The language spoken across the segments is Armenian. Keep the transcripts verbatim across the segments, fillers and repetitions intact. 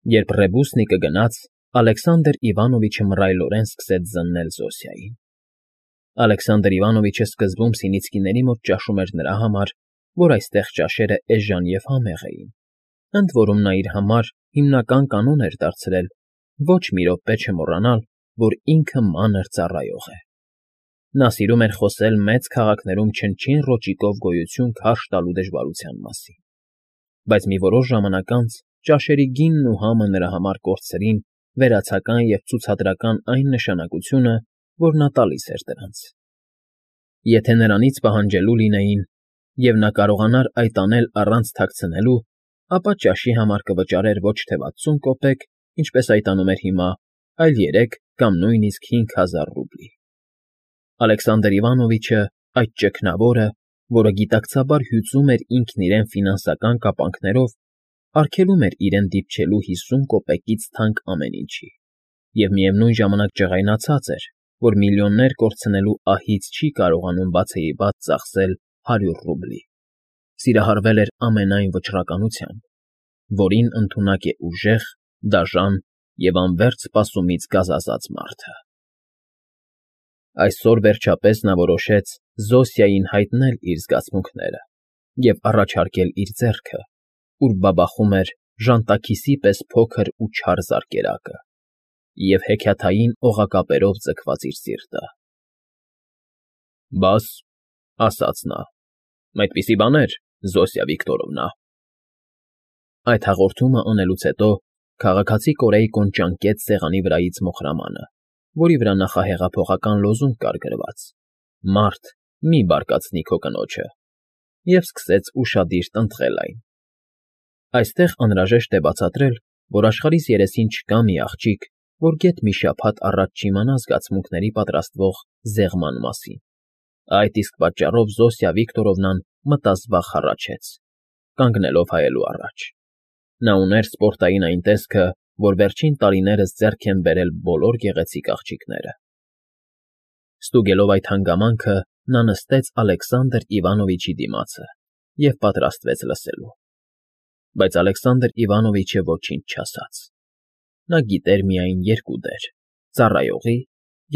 Երբ ռեբուսնիկը գնաց, Ալեքսանդր Իվանովիչը մռայլորեն սկսեց զննել Զոսիային. Ալեքսանդր Իվանովիչը սկզբում Սինիցկիների մոտ ճաշում էր նրա համար, որ այստեղ ճաշերը էժան և համեղ էին, ընդ որում նա իր համար հիմնական կանոն էր դարձրել ոչ մի րոպե չմոռանալ, որ ինքը մանր ծառայող է. նա սիրում էր խոսել մեծ քաղաքներում չնչին ռոճիկով գոյություն քարշ տալու դժվարության մասին, բայց մի որոշ ժամանակ անց ճաշերի գինն ու համը նրա համար կորցրին վերացական և ցուցադրական այն նշանակությունը, որ նա տալիս էր դրանց. եթե նրանից պահանջելու լինեին, և նա կարողանար այդ անել առանց թաքցնելու, ապա ճաշի համար կվճարեր ոչ թե վաթսուն կոպեկ, ինչպես այդ անում էր հիմա, այլ երեք կամ նույնիսկ հինգ հազար ռուբլի։ Ալեքսանդր Իվանովիչը, այդ ճգնավորը, որը գիտակցաբար հյուծում էր ինքն իրեն ֆինանսական կապանքներով, արգելում էր իրեն դիպչելու հիսուն կոպեկից թանկ ամեն ինչի և միևնույն ժամանակ ջղայնացած էր, որ միլիոններ կորցնելու ահից չի կարողանում բացեիբաց ծախսել հարյուր ռուբլի, սիրահարվել էր ամենայն վճռականությամբ, որին ընդունակ է ուժեղ, դաժան և անվերջ սպասումից գազազած մարդը։ Այսօր, վերջապես, նա որոշեց Զոսիային հայտնել իր զգացմունքները և առաջարկել իր ձեռքը, ուր բաբախում էր ժանտաքիսի պես փոքր ու չար զարկերակը և հեքիաթային օղակապերով ձգված իր սիրտը։ ֊ Բաս,֊ ասաց նա,֊ այդպիսի բաներ, Զոսիա Վիկտորովնա… Այդ հաղորդումը անելուց հետո քաղաքացի Կորեյկոն ճանկեց սեղանի վրայից մոխրամանը, որի վրա նախահեղափոխական լոզունգ կար գրված. «Մարդ, մի՛ բարկացնի քո կնոջը», և սկսեց ուշադիր տնտղել այն։ Այստեղ անհրաժեշտ է բացատրել, որ աշխարհիս երեսին չկա մի աղջիկ, որ գեթ մի շաբաթ առաջ չիմանա զգացմունքների պատրաստվող զեղման մասին, այդ իսկ պատճառով Զոսիա Վիկտորովնան մտազբաղ հառաչեց, կանգնելով հայելու առաջ։ Նա ուներ սպորտային այն տեսքը, որ վերջին տարիներս ձեռք են բերել բոլոր գեղեցիկ աղջիկները։ Ստուգելով այդ հանգամանքը, նա նստեց Ալեքսանդր Իվանովիչի դիմացը և պատրաստվեց լսելու։ Բայց Ալեքսանդր Իվանովիչը ոչինչ չասաց։ Նա գիտեր միայն երկու դեր՝ ծառայողի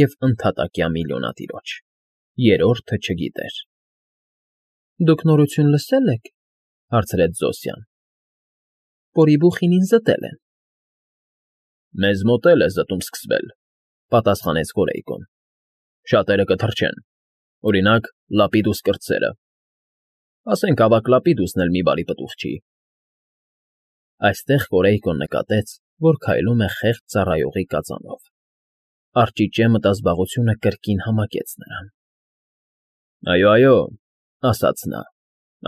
և ընդհատակյա միլիոնատիրոջ, երրորդը չգիտեր։ ֊ Դուք նորություն լսե՞լ եք,֊ հարցրեց Զոսիան։ ֊ Պորիբուխինին զտել են։ ֊ Մեզ մոտ էլ է զտում սկսվել,֊ պատասխանեց Կորեյկոն։ ֊ Շատերը կթռչեն, օրինակ, Լապիդուս կրտսերը, ասենք ավագ Լապիդուսն էլ մի բարի պտուղ չի… Այստեղ Կորեյկոն նկատեց, որ քայլում է խեղճ ծառայողի կածանով։ Արճիճե մտազբաղությունը կրկին համակեց նրան։ ֊ Այո, այո,֊ ասաց նա,֊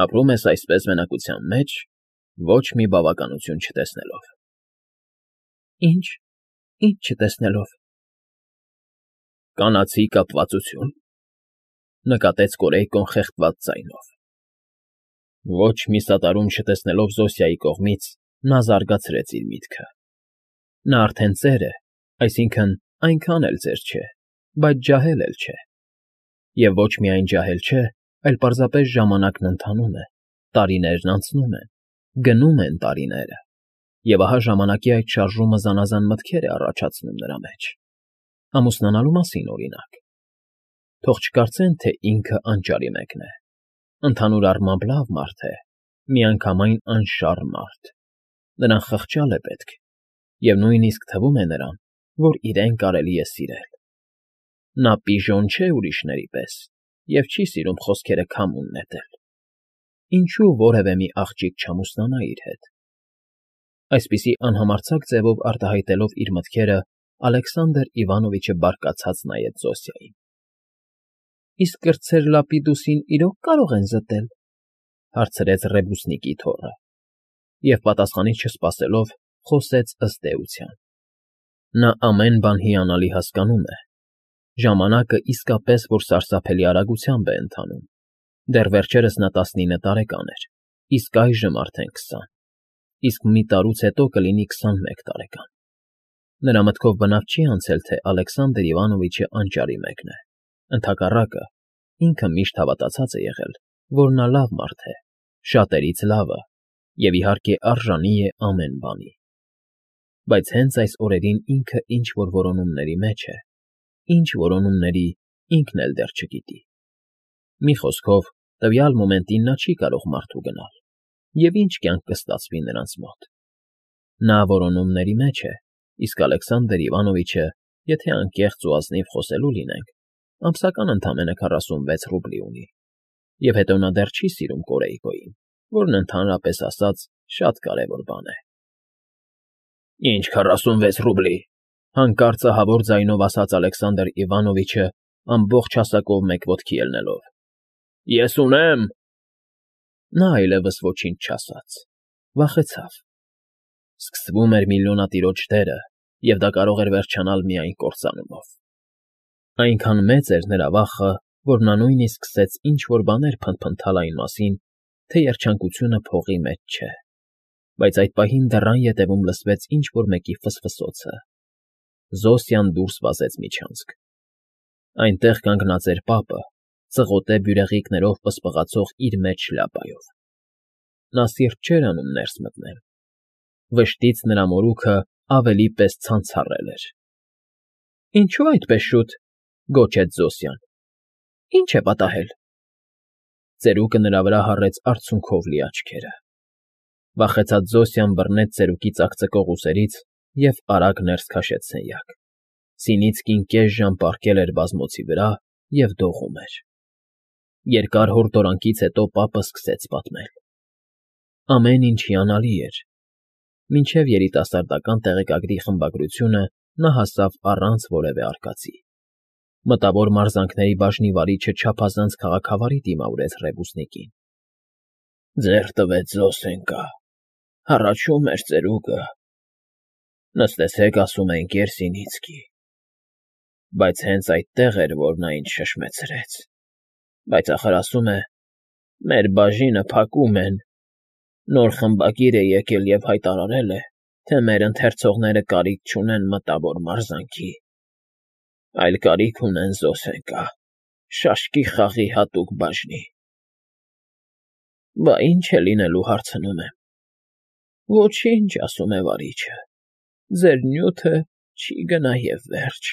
ապրում ես այսպես մենակության մեջ, ոչ մի բավականություն չտեսնելով։ ֊ Ի՞նչ, ի՞նչ չտեսնելով։ ֊ Կանացի կապվածություն,֊ նկատեց Կորեյկոն խեղդված ձայնով։ Ոչ մի սատարում չտեսնելով Զոսիայի կողմից, նա զարգացրեց իր միտքը. նա արդեն ծեր է, այսինքն՝ այնքան էլ ծեր չէ, բայց ջահել էլ չէ։ Եվ ոչ միայն ջահել չէ, այլ պարզապես ժամանակն ընթանում է, տարիներն անցնում են, գնում են տարիները, և ահա ժամանակի այդ շարժումը զանազան մտքեր է առաջացնում նրա մեջ… ամուսնանալու մասին, օրինակ։ Թող չկարծեն, թե ինքը անճարի մեկն է, ընդհանուր առմամբ լավ մարդ է, միանգամայն անշառ մարդ, նրան խղճալ է պետք, և նույնիսկ թվում է նրան, որ իրեն կարելի է սիրել։ Նա պիժոն չէ ուրիշների պես և չի սիրում խոսքերը քամուն նետել։ Ինչո՞ւ որևէ մի աղջիկ չամուսնանա իր հետ։ Այսպիսի անհամարձակ ձևով արտահայտելով իր մտքերը, Ալեքսանդր Իվանովիչը բարկացած նայեց Զոսիային։ ֊ Իսկ կրտսեր Լապիդուսին իրո՞ք կարող են զտել,֊ հարցրեց ռեբուսնիկի թոռը, և պատասխանից չսպասելով, խոսեց ըստ էության. նա ամեն բան հիանալի հասկանում է, ժամանակը իսկապես որ սարսափելի արագությամբ է ընթանում, դեռ վերջերս նա տասնինը տարեկան էր, իսկ այժմ արդեն քսան, իսկ մի տարուց հետո կլինի քսանմեկ տարեկան։ Նրա մտքով բնավ չի անցել, թե Ալեքսանդր Իվանովիչը անճարի մեկն է, ընդհակառակը, ինքը միշտ հավատացած է եղել, որ նա լավ մարդ է, շատերից լավը և, իհարկե, արժանի է ամեն բանի։ Բայց հենց այս օրերին ինքը ինչ֊որ որոնումների մեջ է, ինչ որոնումների ինքն էլ դեռ չգիտի։ Մի խոսքով, տվյալ մոմենտին նա չի կարող մարդու գնալ, և ինչ կյանք կստացվի նրանց մոտ։ Նա որոնումների մեջ է, իսկ Ալեքսանդր Իվանովիչը, եթե անկեղծ ու ազնիվ խոսելու լինենք, ամսական ընդամենը քառասունվեց ռուբլի ունի, և հետո նա դեռ չի սիրում Կորեյկոյին, որն ընդհանրապես ասած շատ կարևոր բան է։ ֊ Ինչ քառասունվեց ռուբլի,֊ հանկարծ ահավոր ձայնով ասաց Ալեքսանդր Իվանովիչը, ամբողջ հասակով մեկ ոտքի ելնելով։ ֊ Ես ունեմ… Նա այլևս ոչինչ չասաց, վախեցավ։ Սկսվում էր միլիոնատիրոջ դերը, և դա կարող էր վերջանալ միայն կործանումով։ Այնքան մեծ էր նրա վախը, որ նա նույնիսկ սկսեց ինչ֊որ բաներ փնթփնթալ այն մասին, թե երջանկությունը փողի մեջ չէ, բայց այդ պահին դռան ետևում լսվեց ինչ֊որ մեկի ֆսֆսոցը։ Զոսյան դուրս վազեց միջանցք։ Այնտեղ կանգնած էր պապը, ծղոտե բյուրեղիկներով պսպղացող իր մեծ շլյապայով։ Նա սիրտ չէր անում ներս մտնել։ Վշտից նրա մորուքը ավելի պես ցանցառել էր։ ֊ Ինչո՞ւ այդպես շուտ,֊ գոչեց Զոսյան։ ֊ Ի՞նչ է պատահել։ Ծերուկը նրա վրա հառեց արցունքով լի աչքերը։ Վախեցած Զոսյան բռնեց ծերուկի ծակծկող ուսերից և արագ ներս քաշեց սենյակ։ Սինիցկին կես ժամ պառկել էր բազմոցի վրա և դողում էր։ Երկար հորդորանքից հետո պապը սկսեց պատմել։ Ամեն ինչ հիանալի էր, մինչև երիտասարդական տեղեկագրի խմբագրությունը նա հասավ առանց որևէ արկածի։ Մտավոր մարզանքների բաժնի վարիչը չափազանց քաղաքավարի դիմավորեց Ռեբուսնիկին։ ֊ Ձեռք տվեց Զոսենկա, հառաչում էր ծերուկը։ Նստեցեք, ասում է, ընկեր Սինիցկի։ Բայց հենց այդտեղ էր, որ նա ինձ շշմեցրեց։ Բայց ախր ասում է, մեր բաժինը փակում են, նոր խմբագիր է եկել և հայտարարել է, թե մեր ընթերցողները կարիք չունեն մտավոր մարզանքի, այլ կարիք ունեն Զոսենկա, շաշկի խաղի հատուկ բաժնի։ Բա ի՞նչ է լինելու, հարցնում եմ։ Ոչինչ, ասում է վարիչը, ձեր նյութը չի գնա և վերջ։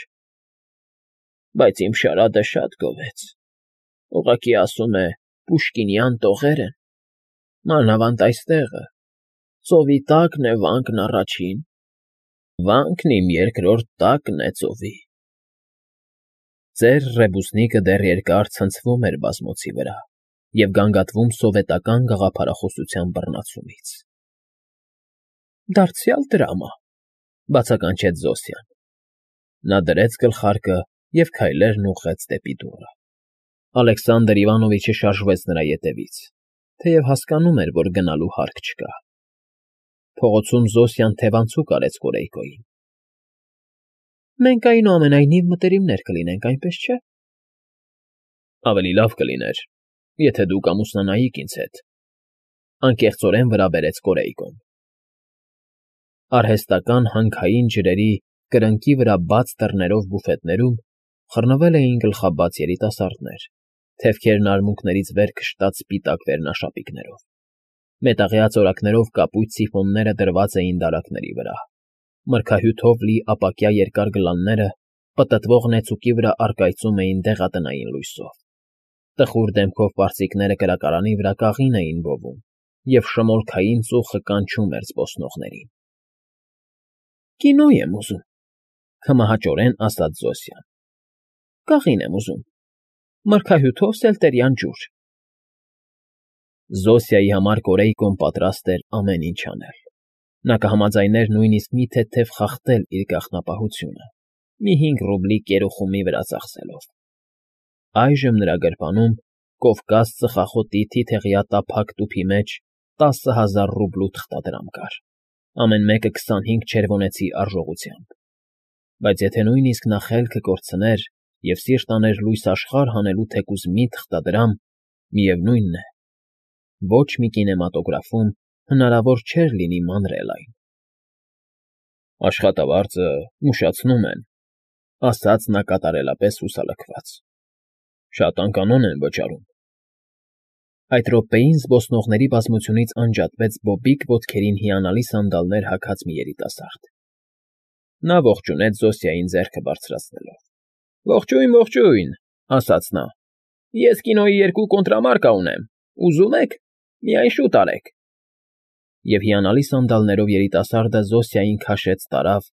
Բայց իմ շարադը շատ գովեց, ուղղակի ասում է, պուշկինյան տողեր են, մանավանդ այստեղը, ծովի տակն է վանքն առաջին, վանքն իմ երկրորդ տակն է ծովի։ Ծեր Ռեբուսնիկը դեռ երկար ցնցվում էր բազմոցի վրա և գանգատվում սովետական գաղափարախոսության բռնացումից։ ֊ Դարձյալ դրամա,֊ բացականչեց Զոսյան։ Նա դրեց գլխարկը և քայլերն ուղղեց դեպի դուռը։ Ալեքսանդր Իվանովիչը շարժվեց նրա ետևից, թեև հասկանում էր, որ գնալու հարկ չկա։ Փողոցում Զոսյան թևանցուկ արեց Կորեյկոյին։ ֊ Մենք, այնուամենայնիվ, մտերիմներ կլինենք, այնպես չէ՞։ ֊ Ավելի լավ կլիներ, եթե դուք ամուսնանայիք ինձ հետ,֊ անկեղծորեն վրա բերեց Կորեյկոն։ Արհեստական հանքային ջրերի կրնկի վրա բաց դռներով բուֆետներում խռնվել էին գլխաբաց երիտասարդներ, թևքերն արմունկներից վեր քշտած սպիտակ վերնաշապիկներով։ Մետաղյա ծորակներով կապույտ սիֆոնները դրված էին դարակների վրա, մրգահյութով լի ապակյա երկար գլանները պտտվող նեցուկի վրա առկայծում էին դեղատնային լույսով։ Տխուր դեմքով պարծիկները կրակարանի վրա կաղին էին բովում, և շմոլքային ծուխը կանչում էր զբոսնողներին։ ֊ Կինո եմ ուզում,֊ քմահաճորեն ասաց Զոսյան։ ֊ Կաղին եմ ուզում, մրգահյութով սելտերյան ջուր։ Զոսիայի համար Կորեյկոն պատրաստ էր ամեն ինչ անել։ Նա կհամաձայներ նույնիսկ մի թեթև խախտել իր գաղտնապահությունը, մի հինգ ռուբլի կերուխումի վրա ծախսելով։ Այժմ նրա գրպանում Կովկաս ծխախոտի թիթեղյա տափակ տուփի մեջ տասը հազար ռուբլու թղթադրամ կար, ամեն մեկը քսանհինգ չերվոնեցի արժողությամբ։ Բայց եթե նույնիսկ նա խելքը կորցներ և սիրտ աներ լույս աշխարհ հանելու թեկուզ մի թղթադրամ, միևնույն է, ոչ մի կինեմատոգրաֆում հնարավոր չէր լինի մանրել այն։ ֊ Աշխատավարձը ուշացնում են,֊ ասաց նա կատարելապես հուսալքված,֊ շատ անկանոն են վճարում։ Այդ րոպեին զբոսնողների բազմությունից անջատվեց բոբիկ ոտքերին հիանալի սանդալներ հագած մի երիտասարդ։ Նա ողջունեց Զոսիային ձեռքը բարձրացնելով։ ֊ Ողջույն, ողջույն, ֊ ասաց նա։ ֊ Ես կինոյի երկու կոնտրամարկա ունեմ, ուզում եք, միայն շուտ արեք։ Եվ հիանալի սանդալներով երիտասարդը Զոսիային քաշեց տարավ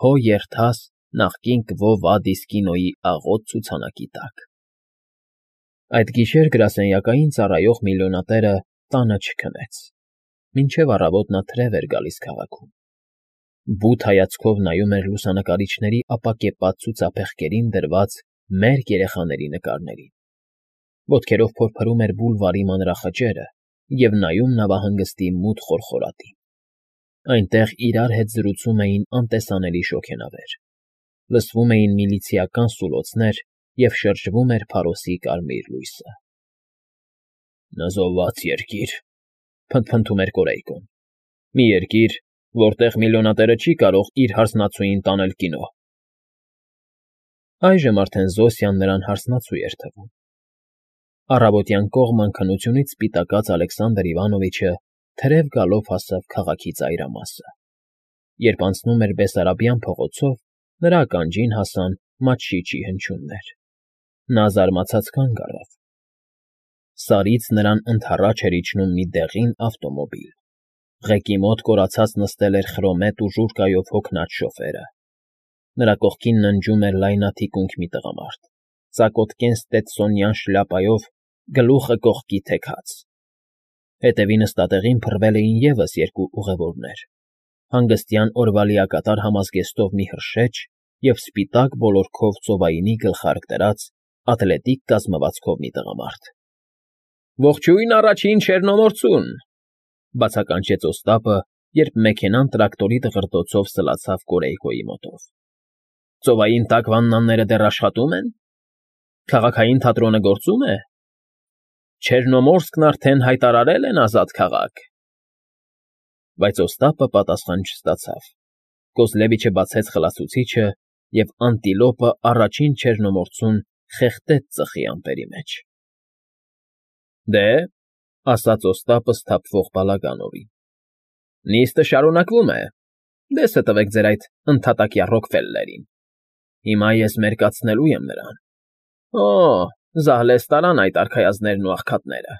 «Հո երթաս» նախկին Կվո Վադիս կինոյի աղոտ ցուցանակի տակ։ Այդ գիշեր գրասենյակային ծառայող միլիոնատերը տանը չքնեց։ Մինչև առավոտ նա թրև էր գալիս քաղաքում։ Բութ հայացքով նայում էր լուսանկարիչների ապակեպած ցուցափեղկերին դրված մերկ երեխաների նկարներին։ Ոտքերով փորփրում էր բուլվարի մանրախճերը և նայում նավահանգստի մութ խորխորատին։ Այնտեղ իրար հետ զրուցում էին անտեսանելի շոգենավեր, լսվում էին միլիցիական սուլոցներ և շրջվում էր փարոսի կարմիր լույսը։ «Նզովված երկիր», ֊ փնթփնթում էր Կորեյկոն, «մի երկիր, որտեղ միլիոնատերը չի կարող իր հարսնացուին տանել կինո»։ Այժմ արդեն Զոսյան նրան հարսնացու էր թվում։ Առավոտյան կողմն քնությունից սպիտակած Ալեքսանդր Իվանովիչը թրև գալով հասավ քաղաքի ծայրամասը։ Երբ անցնում էր Բեսարաբյան փողոցով, նրա ականջին հասան մաչիչի հնչյուններ։ Նա զարմացած կանգ առավ։ Սարից նրան ընդառաջ էր իջնում մի դեղին ավտոմոբիլ։ Ղեկի մոտ կորացած նստել էր խրոմետ ու ժուռկայով հոգնած շոֆերը։ Նրա կողքին ննջում էր լայնաթիկունք մի տղամարդ, ծակոտկեն ստետսոնյան շլյապայով, գլուխը կողքի թեքած։ Հետևի նստատեղին փռվել էին ևս երկու ուղևորներ՝ հանգստյան օրվա լիակատար համազգեստով մի հրշեջ և սպիտակ ոլորքով ծովայինի գլխարկ դրած, ատլետիկ կազմվածքով մի տղամարդ։ ֊ Ողջույն առաջին չեռնոմորցուն, ֊ բացականչեց Օստապը, երբ մեքենան տրակտորի դղրդոցով սլացավ Կորեյկոյի մոտով։ ֊ Ծովային տակ վաննաները դեռ աշխատո՞ւմ են։ Քաղաքային թատրոնը գործո՞ւմ է։ Չեռնոմորսկն արդեն հայտարարել են ազատ քաղաք։ Բայց Օստապը պատասխան չստացավ։ Կոզլևիչը բացեց խլացուցիչը, և անտիլոպը առաջին չեռնոմորցուն խեղդեց ծխի ամպերի մեջ։ ֊ Դե,֊ ասաց Օստապը սթափվող Բալագանովին,֊ նիստը շարունակվում է, դեսը տվեք ձեր այդ ընդհատակյա Ռոքֆելլերին։ Հիմա ես մերկացնելու եմ նրան։ Օ՜, զահլես տարան այդ արքայազններն ու աղքատները։